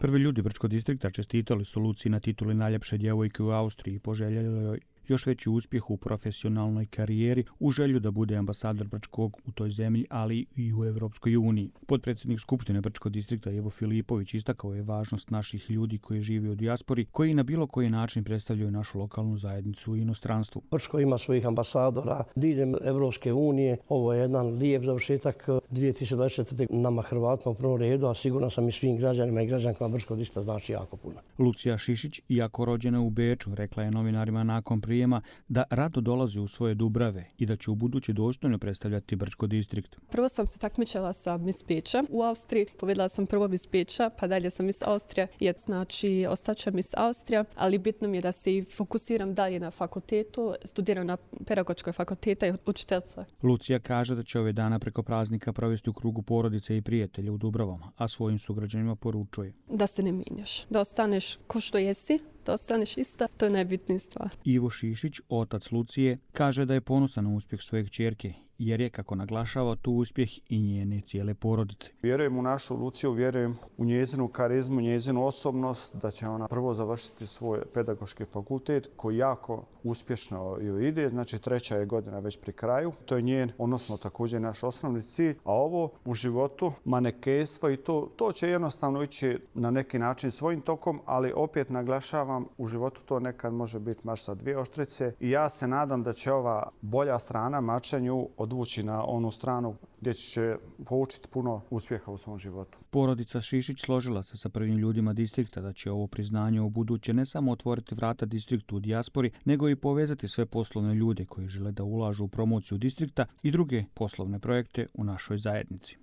Prvi ljudi Brčkog distrikta čestitali su Luciji na tituli najljepše djevojke u Austriji i poželjeli joj još veći uspjeh u profesionalnoj karijeri u želju da bude ambasador Brčkog u toj zemlji, ali i u Evropskoj uniji. Potpredsjednik Skupštine Brčkog distrikta Ivo Filipović istakao je važnost naših ljudi koji žive u dijaspori, koji na bilo koji način predstavljaju našu lokalnu zajednicu u inostranstvu. Brčko ima svojih ambasadora diljem Evropske unije. Ovo je jedan lijep završetak 2024. nama Hrvatima u prvom redu, a sigurno sam i svim građanima i građankama Brčkog distrikta znači jako puno. Lucija Šišić, iako rođena u Beču, rekla je novinarima nakon prijema da rado dolazi u svoje Dubrave i da će u budući dostojno predstavljati Brčko distrikt. Prvo sam se takmičila sa Miss Beča u Austriji, pobjedila sam prvo Miss Beča, pa dalje sam Miss Austrija, znači ostaće Miss Austrija, ali bitno mi je da se i fokusiram dalje na fakultetu, studiram na pedagoškoj fakulteta i učiteljica. Lucija kaže da će ove dana preko praznika provesti u krugu porodice i prijatelja u Dubravama, a svojim sugrađanima poručuje da se ne mijenjaš, da ostaneš ko što jesi, da ostaneš ista, to je najbitnija stvar. Ivo Šišić, otac Lucije, kaže da je ponosan na uspjeh svoje kćerke, jer je, kako naglašava, tu uspjeh i njene cijele porodice. Vjerujem u našu Luciju, vjerujem u njezinu karizmu, njezinu osobnost, da će ona prvo završiti svoj pedagoški fakultet koji jako uspješno joj ide, znači 3. je godina već pri kraju. To je njen, odnosno također naš osnovni cilj, a ovo u životu, manekenstvo i to će jednostavno ići na neki način svojim tokom, ali opet naglašavam, u životu to nekad može biti mač sa dvije oštrice i ja se nadam da će ova bolja strana mačanju odvući na onu stranu gdje će poučiti puno uspjeha u svom životu. Porodica Šišić složila se sa prvim ljudima distrikta da će ovo priznanje u buduće ne samo otvoriti vrata distriktu u dijaspori, nego i povezati sve poslovne ljude koji žele da ulažu u promociju distrikta i druge poslovne projekte u našoj zajednici.